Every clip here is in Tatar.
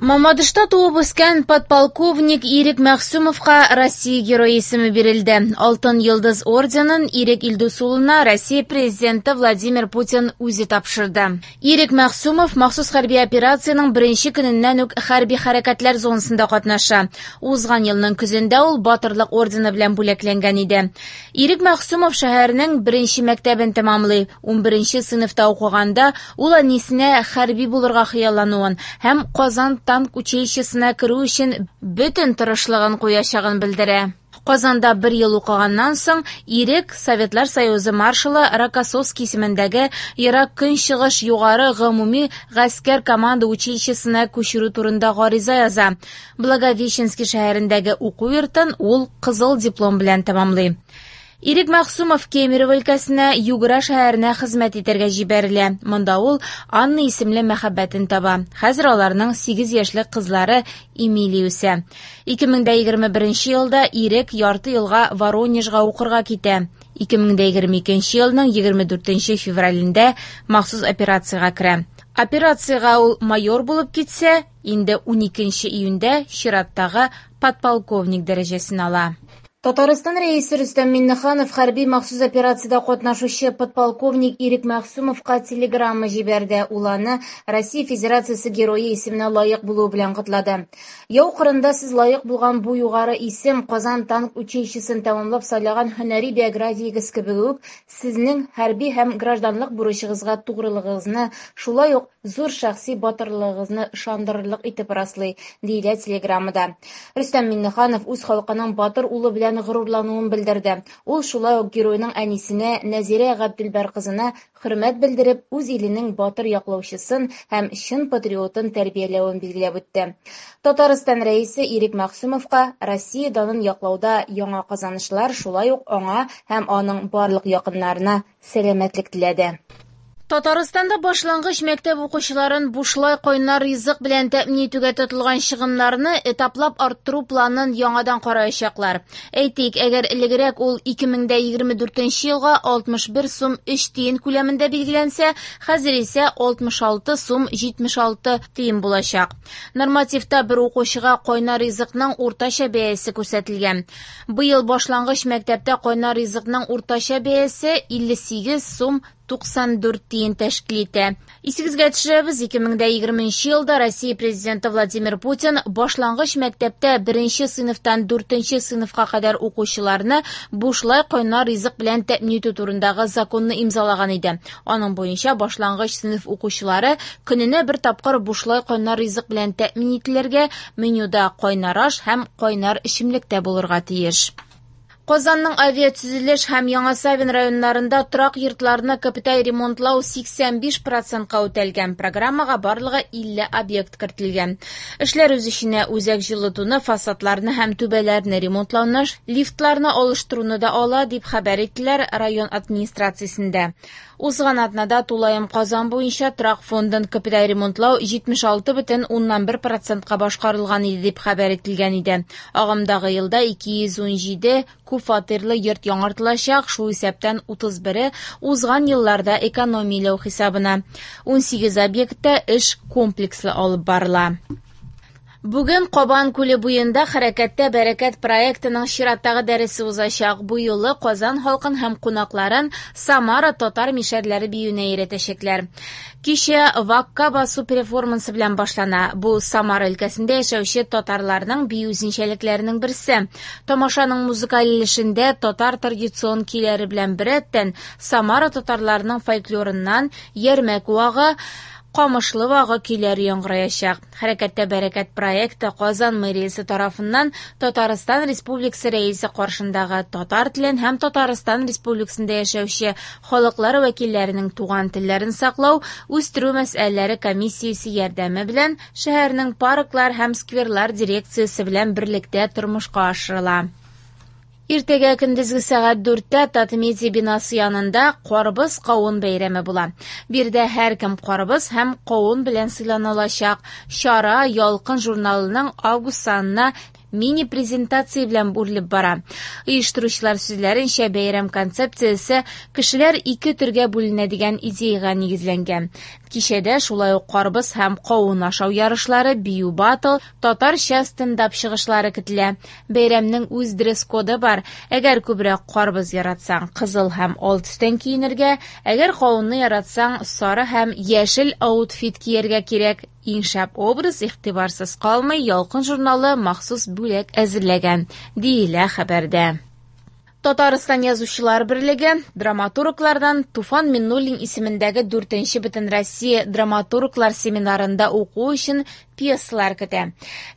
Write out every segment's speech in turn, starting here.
Мамадышта туып үскән подполковник Ирек Мәгъсүмовка Россия Герое исеме бирелде. Алтын Йолдыз орденын Ирек Илдус улына Россия Президенты Владимир Путин үзе тапшырды. Ирек Мәгъсүмов махсус хәрби операциянең беренче көненнән үк хәрби хәрәкәтләр зонасында катнаша. Узган елның көзендә ул Батырлык ордены белән бүләкләнгән иде. Ирек Мәгъсүмов шәһәрнең беренче мәктәбен тәмамлый. 11 сыйныфта укыганда ул әнисенә хәрби булырга хыяллануын һәм Казан танк училищесына керү өчен бөтен тырышлыгын куячагын белдерә. Казанда бер ел укыганнан соң Ирек Советлар Союзы маршалы Рокоссовский исемендәге Ерак Көнчыгыш югары гомуми гаскәр команда училищесына күчерү турында гариза яза. Благовещенский шәһәрендәге уку йортын ул кызыл диплом белән тәмамлый. Ирек Мәгъсумов Кемерово өлкәсенә Югра шәһәренә хезмәт итәргә җибәрелә. Монда ул Анна исемле мәхәббәтен таба. Хәзер аларның 8 яшьлек кызлары Эмилия үсә. 2021 елда Ирек ярты елга Воронежга укырга китә. 2022 елның 24 февралендә махсус операциягә керә. Операциягә ул майор булып китсә, инде 12 июньдә чираттагы подполковник дәрәҗәсен ала. Татарстан Рәисе Рөстәм Миңнеханов хәрби махсус операциядә катнашучы подполковник Ирек Мәгъсүмовка телеграмма җибәрде. Ул аны Россия Федерациясе Герое исеменә лаек булуы белән котлады. Яу кырында сез лаек булган бу югары исем Казан танк училищесын тәмамлап сайлаган һөнәри биографиягез кебек үк сезнең хәрби һәм гражданлык бурычыгызга тугрылыгыгызны, шулай ук зур шәхси батырлыгыгызны ышандырырлык итеп раслый, диелә телеграммада. Рөстәм Миңнеханов үз халкының батыр улы белән горурлануын белдерде. Ул шулай ук геройның әнисенә Нәзирә Габделбәр кызына хөрмәт белдереп, үз иленең батыр яклаучысын һәм чын патриотын тәрбияләвен билгеләп үтте. Татарстан Рәисе Ирек Мәгъсүмовка Россия данын яклауда яңа казанышлар, шулай ук аңа һәм аның барлык якыннарына сәламәтлек теләде. Татарстанда башлангыч мәктәп укучыларын бушлай кайнар ризык белән тәэмин итүгә тотылган чыгымнарны этаплап арттыру планын яңадан караячаклар. Әйтик, әгәр элегрәк ул 2024 елга 61 сум 3 тиен күләмендә билгеләнсә, хәзер исә 66 сум 76 тиен булачак. Нормативта бер укучыга кайнар ризыкның уртача бәясе күрсәтелгән. Быел башлангыч мәктәптә кайнар ризыкның уртача бәясе 58 сум 94 тиен тәшкил итә. Исегезгә төшерәбез, 2020 елда Россия Президенты Владимир Путин башлангыч мәктәптә 1 сыйныфтан 4 сыйныфка кадәр укучыларны бушлай кайнар ризык белән тәэмин итү турындагы законны имзалаган иде. Аның буенча башлангыч сыйныф укучылары көненә бер тапкыр бушлай кайнар ризык белән тәэмин ителергә, менюда кайнар аш һәм кайнар эчемлек тә булырга тиеш. Казанның авиатөзелеш һәм Яңа Савин районнарында торак йортларны капиталь ремонтлау 85%-ка үтәлгән. Программага барлыгы 50 объект кертелгән. Эшләр үз эченә үзәк җылытуны, фасадларны һәм түбәләрне ремонтлауны, лифтларны алыштыруны да ала, дип хәбәр иттеләр район администрациясендә. Узган атнада тулаем Казан буенча торак фондын капиталь ремонтлау 76,1%-ка башкарылган иде, дип хәбәр ителгән иде. Агымдагы елда 217 күп фатирлы йорт яңартылачак, шул исәптән 31-е узган елларда экономияләү хисабына. 18 объектта эш комплекслы алып барыла. Бүген Кабан күле буенда Хәрәкәттә бәрәкәт проектының чираттагы дәресе узачак. Бу юлы Казан халкын һәм кунакларын Самара татар мишәрләре биюенә өйрәтәчәкләр. Кичә Вакка басу перформансы белән башлана. Бу Самара өлкәсендә яшәүче татарларның бию үзенчәлекләренең берсе. Тамашаның музыкаль өлешендә татар традицион көйләре белән беррәттән Самара татарларының фольклорыннан Ярмәк вагы, Камышлы вагы көйләре яңгыраячак. Хәрәкәттә бәрәкәт проекты Казан мэриясе тарафыннан Татарстан Республикасы Рәисе каршындагы татар телен һәм Татарстан Республикасында яшәүче халыклар вәкилләренең туган телләрен саклау, үстерү мәсьәләләре комиссиясе ярдәме белән шәһәрнең парклар һәм скверлар дирекциясе белән берлектә тормышка ашырыла. Иртәгә көндезге сәгать 4-тә Татмедиа бинасы янында Карбыз кавын бәйрәме була. Биредә һәркем карбыз һәм кавын белән сыйлана алачак. Чара Ялкын журналының август санына мини-презентация белән үрелеп бара. Оештыручылар сүзләренчә, бәйрәм концепциясе кешеләр ике төргә бүленә дигән идеяга нигезләнгән. Кичәдә шулай ук карбыз һәм кавын ашау ярышлары, бию батл, татарча стендап чыгышлары көтелә. Бәйрәмнең үз дресс-коды бар. Әгәр күбрәк карбыз яратсаң, кызыл һәм ал төстән киенергә, әгәр кавынны яратсаң, сары һәм яшел аутфит кияргә кирәк. Иң шәп образ игътибарсыз калмый, Ялкын журналы махсус бүләк әзерләгән, диелә хәбәрдә. Татарстан Язучылар берлеге драматурглардан Туфан Миннуллин исемендәге 4нче Бөтенроссия драматурглар семинарында уку өчен пьесалар көтә.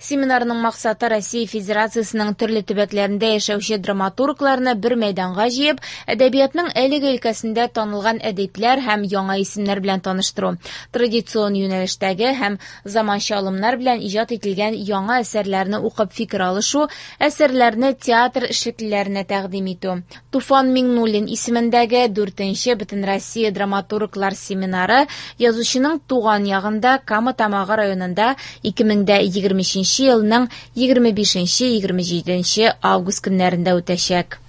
Семинарның максаты Россия Федерациясенең төрле төбәкләрендә яшәүче драматургларны бер мәйданга җыеп, әдәбиятның әлеге өлкәсендә танылган әдипләр һәм яңа исемнәр белән таныштыру, традицион юнәлештәге һәм заманча алымнар белән иҗат ителгән яңа әсәрләрне укып фикер алышу, әсәрләрне театр эшлеклеләренә тәкъдим итү. Туфан Миңнуллин исемендәге 4нче Бөтенроссия драматурглар семинары язучының туган ягында Кама Тамагы районында 2023 елның 25-27 август көннәрендә үтәчәк.